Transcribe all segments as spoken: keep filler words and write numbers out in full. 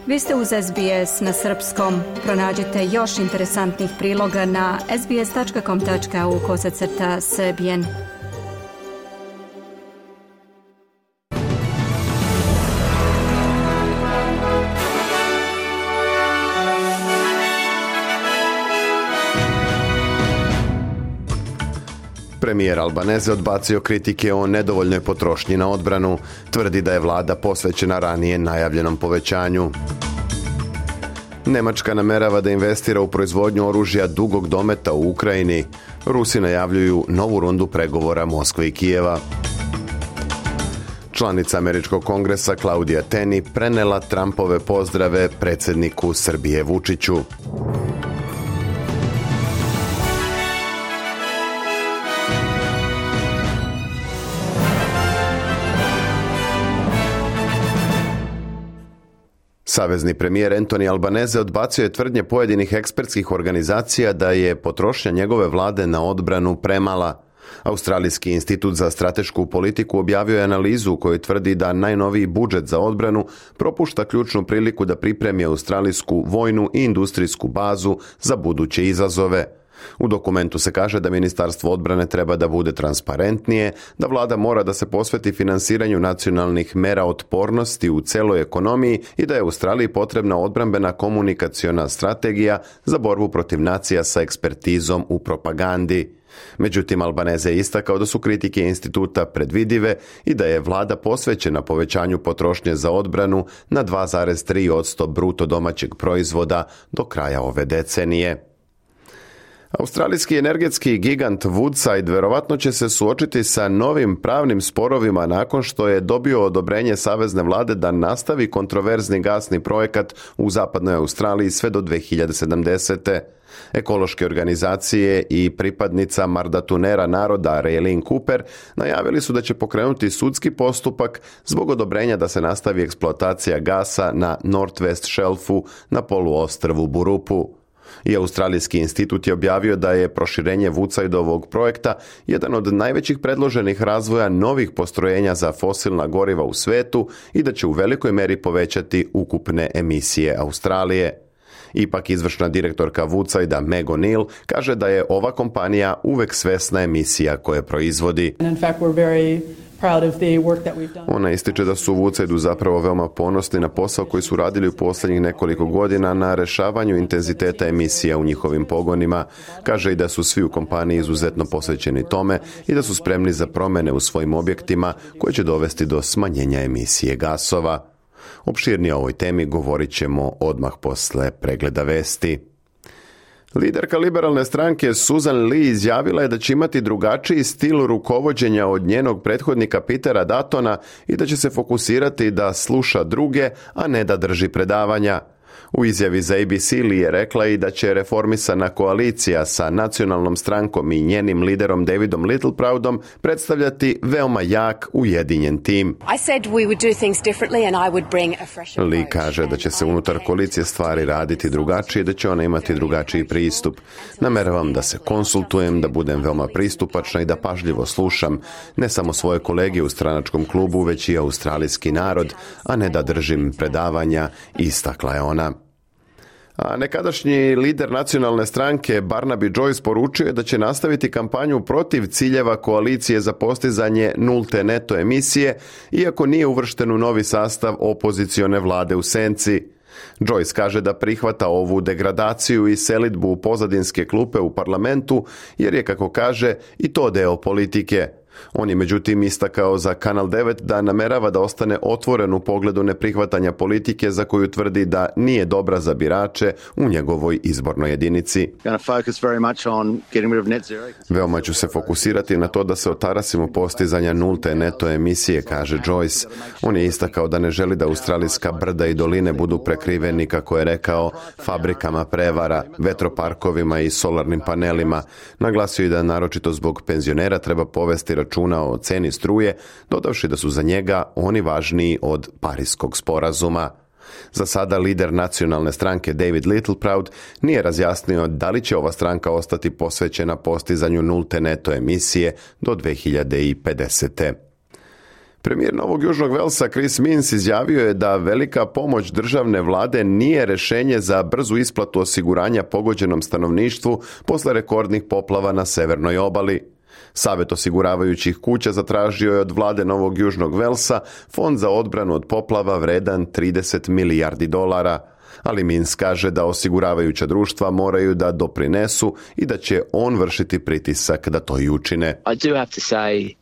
Vi ste uz S B S na srpskom. Pronađite još interesantnih priloga na sbs.com.au kosacrta srbijen. Premijer Albanese odbacio kritike o nedovoljnoj potrošnji na odbranu. Tvrdi da je vlada posvećena ranije najavljenom povećanju. Nemačka namerava da investira u proizvodnju oružja dugog dometa u Ukrajini. Rusi najavljuju novu rundu pregovora Moskve i Kijeva. Članica Američkog kongresa Claudia Tenney prenela Trumpove pozdrave predsjedniku Srbije Vučiću. Savezni premijer Anthony Albanese odbacio je tvrdnje pojedinih ekspertskih organizacija da je potrošnja njegove vlade na odbranu premala. Australijski institut za stratešku politiku objavio je analizu u kojoj tvrdi da najnoviji budžet za odbranu propušta ključnu priliku da pripremi australijsku vojnu i industrijsku bazu za buduće izazove. U dokumentu se kaže da Ministarstvo odbrane treba da bude transparentnije, da vlada mora da se posveti finansiranju nacionalnih mera otpornosti u celoj ekonomiji i da je Australiji potrebna odbrambena komunikaciona strategija za borbu protiv nacija sa ekspertizom u propagandi. Međutim, Albanese je istakao da su kritike instituta predvidive i da je vlada posvećena povećanju potrošnje za odbranu na dva zarez tri posto bruto domaćeg proizvoda do kraja ove decenije. Australijski energetski gigant Woodside verovatno će se suočiti sa novim pravnim sporovima nakon što je dobio odobrenje savezne vlade da nastavi kontroverzni gasni projekat u zapadnoj Australiji sve do dve hiljade sedamdesete. Ekološke organizacije i pripadnica Mardatunera naroda Raylene Cooper najavili su da će pokrenuti sudski postupak zbog odobrenja da se nastavi eksploatacija gasa na Northwest Shelfu na poluostrvu Burupu. I Australijski institut je objavio da je proširenje Woodsideovog projekta jedan od najvećih predloženih razvoja novih postrojenja za fosilna goriva u svetu i da će u velikoj meri povećati ukupne emisije Australije. Ipak izvršna direktorka Woodsidea Meg O'Neill kaže da je ova kompanija uvek svesna emisija koje proizvodi. Ona ističe da su u Woodsideu zapravo veoma ponosni na posao koji su radili u posljednjih nekoliko godina na rešavanju intenziteta emisija u njihovim pogonima. Kaže i da su svi u kompaniji izuzetno posvećeni tome i da su spremni za promjene u svojim objektima koje će dovesti do smanjenja emisije gasova. Opširnije o ovoj temi govorit ćemo odmah posle pregleda vesti. Liderka liberalne stranke Susan Lee izjavila je da će imati drugačiji stil rukovođenja od njenog prethodnika Petera Duttona i da će se fokusirati da sluša druge, a ne da drži predavanja. U izjavi za A B C Lee je rekla i da će reformisana koalicija sa nacionalnom strankom i njenim liderom Davidom Littleproudom predstavljati veoma jak, ujedinjen tim. Lee kaže da će se unutar koalicije stvari raditi drugačije i da će ona imati drugačiji pristup. Nameravam da se konsultujem, da budem veoma pristupačna i da pažljivo slušam ne samo svoje kolege u stranačkom klubu, već i australijski narod, a ne da držim predavanja, istakla je ona. A nekadašnji lider nacionalne stranke Barnaby Joyce poručio je da će nastaviti kampanju protiv ciljeva koalicije za postizanje nulte neto emisije, iako nije uvršten u novi sastav opozicione vlade u senci. Joyce kaže da prihvata ovu degradaciju i selidbu u pozadinske klupe u parlamentu, jer je, kako kaže, i to deo politike. On je međutim istakao za Kanal devet da namerava da ostane otvoren u pogledu neprihvatanja politike za koju tvrdi da nije dobra za birače u njegovoj izbornoj jedinici. Veoma ću se fokusirati na to da se otarasimo postizanja nulte neto emisije, kaže Joyce. On je istakao da ne želi da australijska brda i doline budu prekriveni, kako je rekao, fabrikama prevara, vetroparkovima i solarnim panelima. Naglasio je da naročito zbog penzionera treba povesti računa o ceni struje, dodavši da su za njega oni važniji od Pariskog sporazuma. Za sada lider nacionalne stranke David Littleproud nije razjasnio da li će ova stranka ostati posvećena postizanju nulte neto emisije do dve hiljade pedesete. Premijer Novog Južnog Velsa Chris Minns izjavio je da velika pomoć državne vlade nije rješenje za brzu isplatu osiguranja pogođenom stanovništvu posle rekordnih poplava na severnoj obali. Savjet osiguravajućih kuća zatražio je od vlade Novog Južnog Velsa fond za odbranu od poplava vredan trideset milijardi dolara, ali Minns kaže da osiguravajuća društva moraju da doprinesu i da će on vršiti pritisak da to i učine. I do have to say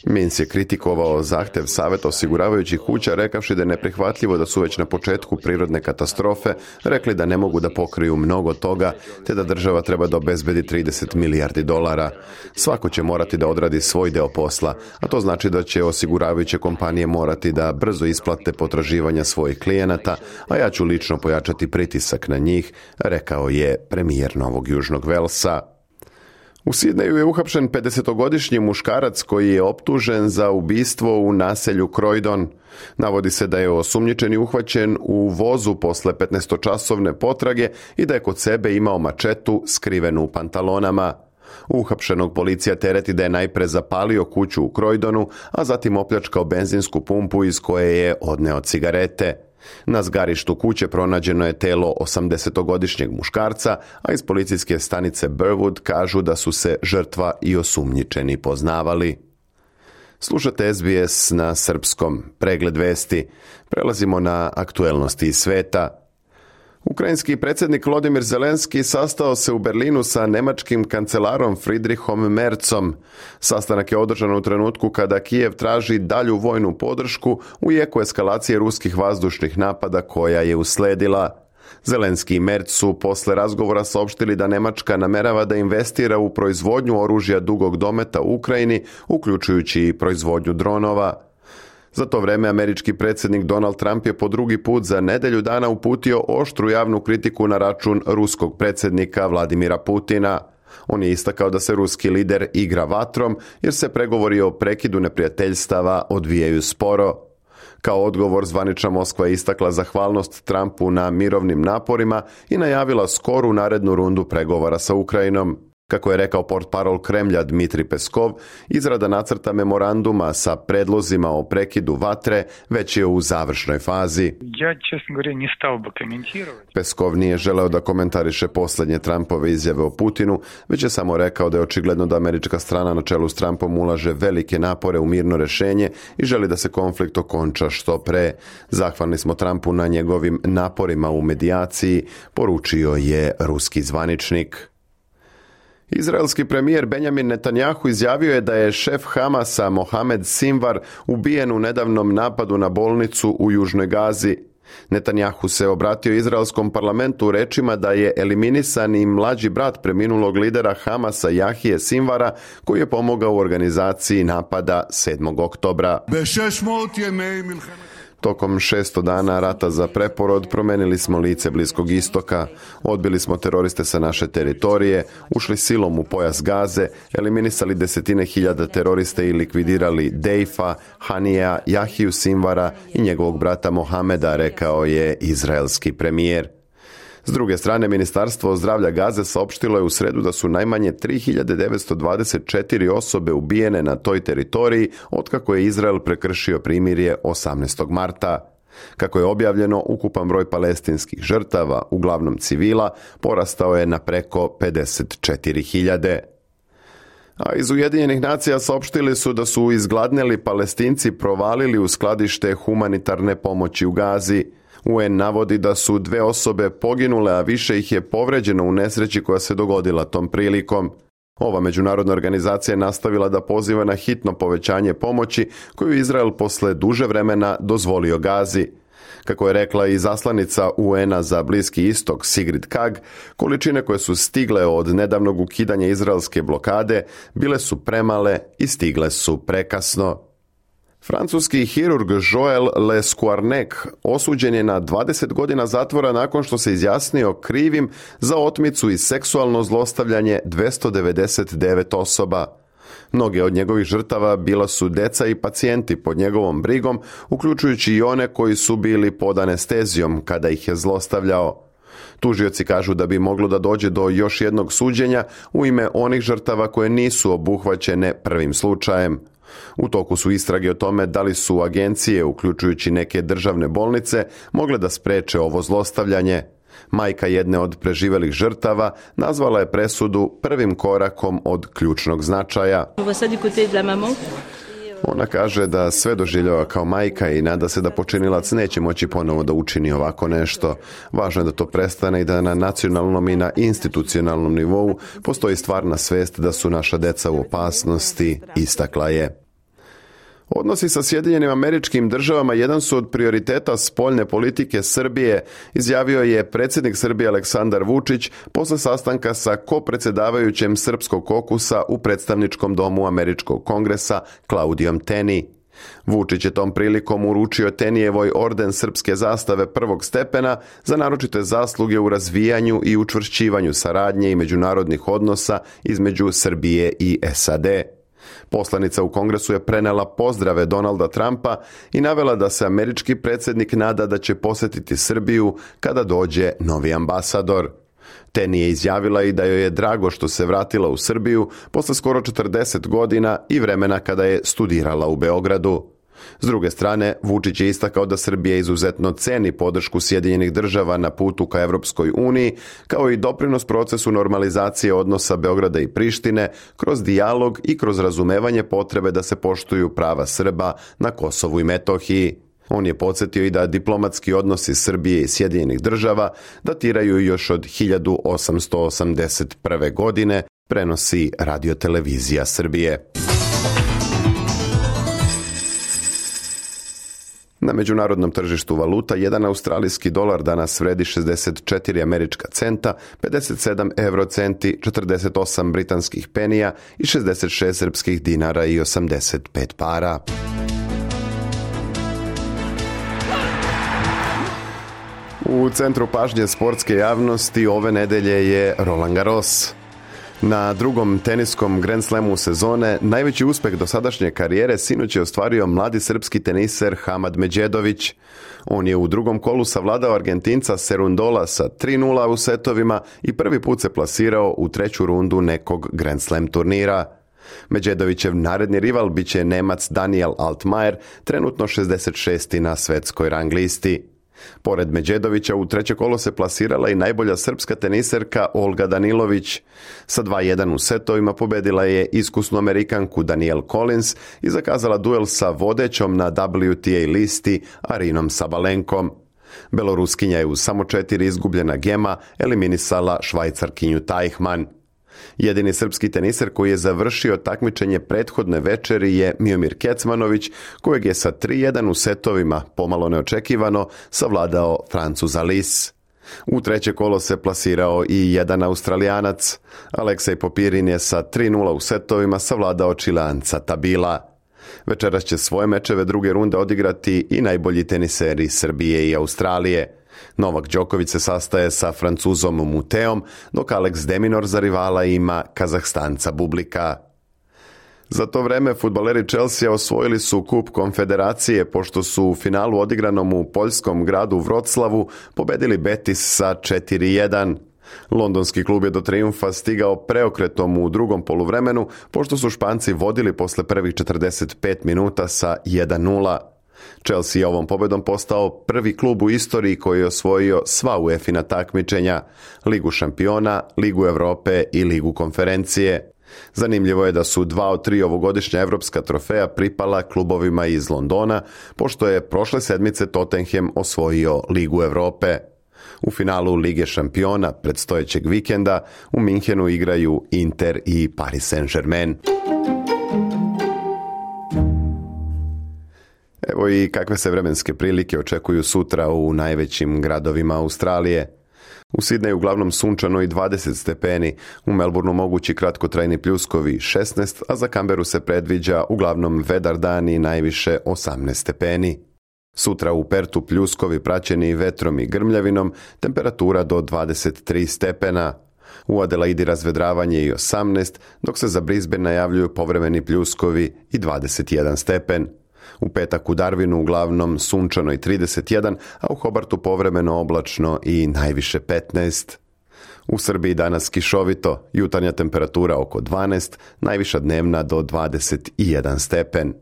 Minns je kritikovao zahtjev Savjeta osiguravajućih kuća rekavši da je neprihvatljivo da su već na početku prirodne katastrofe rekli da ne mogu da pokriju mnogo toga, te da država treba da obezbedi trideset milijardi dolara. Svako će morati da odradi svoj deo posla, a to znači da će osiguravajuće kompanije morati da brzo isplate potraživanja svojih klijenata, a ja ću lično pojačati pritisak na njih, rekao je premijer Novog Južnog Velsa. U Sidneju je uhapšen pedesetogodišnji muškarac koji je optužen za ubistvo u naselju Croydon. Navodi se da je osumnjičeni uhvaćen u vozu posle petnaestočasovne potrage i da je kod sebe imao mačetu skrivenu u pantalonama. Uhapšenog policija tereti da je najpre zapalio kuću u Croydonu, a zatim opljačkao benzinsku pumpu iz koje je odneo cigarete. Na zgarištu kuće pronađeno je telo osamdesetogodišnjeg muškarca, a iz policijske stanice Burwood kažu da su se žrtva i osumnjičeni poznavali. Slušate S B S na srpskom. Pregled vesti. Prelazimo na aktuelnosti iz sveta. Ukrajinski predsjednik Volodymyr Zelenski sastao se u Berlinu sa nemačkim kancelarom Friedrichom Merzom. Sastanak je održan u trenutku kada Kijev traži dalju vojnu podršku u jeku eskalacije ruskih vazdušnih napada koja je usledila. Zelenski i Merz su posle razgovora saopštili da Nemačka namerava da investira u proizvodnju oružja dugog dometa u Ukrajini, uključujući i proizvodnju dronova. Za to vreme američki predsjednik Donald Trump je po drugi put za nedelju dana uputio oštru javnu kritiku na račun ruskog predsjednika Vladimira Putina. On je istakao da se ruski lider igra vatrom jer se pregovori o prekidu neprijateljstava odvijaju sporo. Kao odgovor zvanična Moskva je istakla zahvalnost Trumpu na mirovnim naporima i najavila skoru narednu rundu pregovora sa Ukrajinom. Kako je rekao portparol Kremlja Dmitri Peskov, izrada nacrta memoranduma sa predlozima o prekidu vatre već je u završnoj fazi. Ja, čestno govorim, ne stao bi komentirati. Peskov nije želeo da komentariše posljednje Trumpove izjave o Putinu, već je samo rekao da je očigledno da američka strana na čelu s Trumpom ulaže velike napore u mirno rješenje i želi da se konflikt okonča što pre. Zahvalni smo Trumpu na njegovim naporima u medijaciji, poručio je ruski zvaničnik. Izraelski premijer Benjamin Netanjahu izjavio je da je šef Hamasa Mohamed Sinvar ubijen u nedavnom napadu na bolnicu u Južnoj Gazi. Netanjahu se obratio izraelskom parlamentu rečima da je eliminisan i mlađi brat preminulog lidera Hamasa Jahije Sinvara, koji je pomogao u organizaciji napada sedmog oktobra. Tokom šesto dana rata za preporod promenili smo lice Bliskog istoka, odbili smo teroriste sa naše teritorije, ušli silom u pojas Gaze, eliminisali desetine hiljada teroriste i likvidirali Dejfa, Hanija, Jahiju Sinvara i njegovog brata Mohameda, rekao je izraelski premijer. S druge strane, Ministarstvo zdravlja Gaze saopštilo je u sredu da su najmanje tri hiljade devetsto dvadeset četiri osobe ubijene na toj teritoriji otkako je Izrael prekršio primirje osamnaestog marta. Kako je objavljeno, ukupan broj palestinskih žrtava, uglavnom civila, porastao je na preko pedeset četiri hiljade. A iz Ujedinjenih nacija saopštili su da su izgladneli Palestinci provalili u skladište humanitarne pomoći u Gazi. U en navodi da su dve osobe poginule, a više ih je povređeno u nesreći koja se dogodila tom prilikom. Ova međunarodna organizacija je nastavila da poziva na hitno povećanje pomoći koju Izrael posle duže vremena dozvolio Gazi. Kako je rekla i zaslanica U en-a za Bliski istok Sigrid Kaag, količine koje su stigle od nedavnog ukidanja izraelske blokade bile su premale i stigle su prekasno. Francuski hirurg Joël Lescoarnec osuđen je na dvadeset godina zatvora nakon što se izjasnio krivim za otmicu i seksualno zlostavljanje dvesta devedeset devet osoba. Mnoge od njegovih žrtava bila su deca i pacijenti pod njegovom brigom, uključujući i one koji su bili pod anestezijom kada ih je zlostavljao. Tužioci kažu da bi moglo da dođe do još jednog suđenja u ime onih žrtava koje nisu obuhvaćene prvim slučajem. U toku su istrage o tome da li su agencije, uključujući neke državne bolnice, mogle da spreče ovo zlostavljanje. Majka jedne od preživelih žrtava nazvala je presudu prvim korakom od ključnog značaja. Ona kaže da sve doživljava kao majka i nada se da počinilac neće moći ponovo da učini ovako nešto. Važno je da to prestane i da na nacionalnom i na institucionalnom nivou postoji stvarna svest da su naša deca u opasnosti, istakla je. Odnosi sa Sjedinjenim Američkim Državama jedan su od prioriteta spoljne politike Srbije, izjavio je predsjednik Srbije Aleksandar Vučić posle sastanka sa kopredsjedavajućem srpskog kokusa u predstavničkom domu Američkog kongresa Klaudijom Teni. Vučić je tom prilikom uručio Tenijevoj orden srpske zastave prvog stepena za naročite zasluge u razvijanju i učvršćivanju saradnje i međunarodnih odnosa između Srbije i S A D. Poslanica u Kongresu je prenela pozdrave Donalda Trumpa i navela da se američki predsjednik nada da će posjetiti Srbiju kada dođe novi ambasador. Teni je izjavila i da joj je drago što se vratila u Srbiju posle skoro četrdeset godina i vremena kada je studirala u Beogradu. S druge strane, Vučić je istakao da Srbija izuzetno ceni podršku Sjedinjenih Država na putu ka Evropskoj uniji, kao i doprinos procesu normalizacije odnosa Beograda i Prištine kroz dijalog i kroz razumevanje potrebe da se poštuju prava Srba na Kosovu i Metohiji. On je podsjetio i da diplomatski odnosi Srbije i Sjedinjenih Država datiraju još od hiljadu osamsto osamdeset prve. godine, prenosi Radiotelevizija Srbije. Na međunarodnom tržištu valuta jedan australijski dolar danas vredi šezdeset četiri američka centa, pedeset sedam eurocenti, četrdeset osam britanskih penija i šezdeset šest srpskih dinara i osamdeset pet para. U centru pažnje sportske javnosti ove nedelje je Roland Garros. Na drugom teniskom Grand Slamu sezone najveći uspeh dosadašnje karijere sinoć je ostvario mladi srpski teniser Hamad Medjedović. On je u drugom kolu savladao Argentinca Serundola sa tri nula u setovima i prvi put se plasirao u treću rundu nekog Grand Slam turnira. Medjedovićev naredni rival biće Nemac Daniel Altmaier, trenutno šezdeset šesti na svetskoj rang listi. Pored Medjedovića u treće kolo se plasirala i najbolja srpska teniserka Olga Danilović. Sa dva jedan u setovima pobedila je iskusnu Amerikanku Danielle Collins i zakazala duel sa vodećom na W T A listi Arinom Sabalenkom. Beloruskinja je u samo četiri izgubljena gema eliminisala Švajcarkinju Teichmann. Jedini srpski teniser koji je završio takmičenje prethodne večeri je Miomir Kecmanović, kojeg je sa tri jedan u setovima, pomalo neočekivano, savladao Francuza Lis. U treće kolo se plasirao i jedan Australijanac. Aleksej Popirin je sa tri nula u setovima savladao Čileanca Tabila. Večeras će svoje mečeve druge runde odigrati i najbolji teniseri Srbije i Australije. Novak Đoković se sastaje sa Francuzom Muteom, dok Alex de Minaur za rivala ima Kazahstanca Bublika. Za to vreme fudbaleri Chelsea osvojili su kup Konfederacije pošto su u finalu odigranom u poljskom gradu Vroclavu pobedili Betis sa četiri jedan. Londonski klub je do trijumfa stigao preokretom u drugom poluvremenu pošto su Španci vodili posle prvih četrdeset pet minuta sa jedan nula. Chelsea je ovom pobedom postao prvi klub u istoriji koji je osvojio sva UEFA takmičenja, Ligu šampiona, Ligu Evrope i Ligu konferencije. Zanimljivo je da su dva od tri ovogodišnja evropska trofeja pripala klubovima iz Londona, pošto je prošle sedmice Tottenham osvojio Ligu Evrope. U finalu Lige šampiona predstojećeg vikenda u Minhenu igraju Inter i Paris Saint-Germain. Evo i kakve se vremenske prilike očekuju sutra u najvećim gradovima Australije. U Sidneju uglavnom sunčano i dvadeset stepeni, u Melbourneu mogući kratkotrajni pljuskovi šesnaest, a za Canberu se predviđa uglavnom vedar dan i najviše osamnaest stepeni. Sutra u Pertu pljuskovi praćeni vetrom i grmljavinom, temperatura do dvadeset tri stepena. U Adelaidi razvedravanje i osamnaest, dok se za Brisbane najavljuju povremeni pljuskovi i dvadeset jedan stepen. U petak u Darwinu uglavnom sunčano i trideset jedan, a u Hobartu povremeno oblačno i najviše petnaest. U Srbiji danas kišovito, jutarnja temperatura oko dvanaest, najviša dnevna do dvadeset jedan stepen.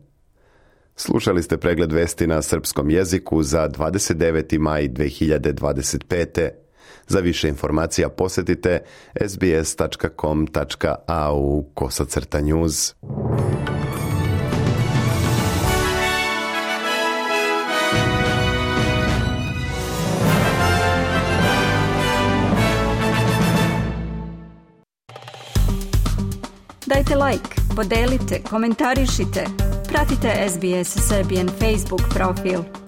Slušali ste pregled vesti na srpskom jeziku za dvadeset deveti maj dve hiljade dvadeset pete. Za više informacija posjetite es bi es tačka com tačka a u kosacrta news. Dajte like, podelite, komentarišite. Pratite es bi es Serbian Facebook profil.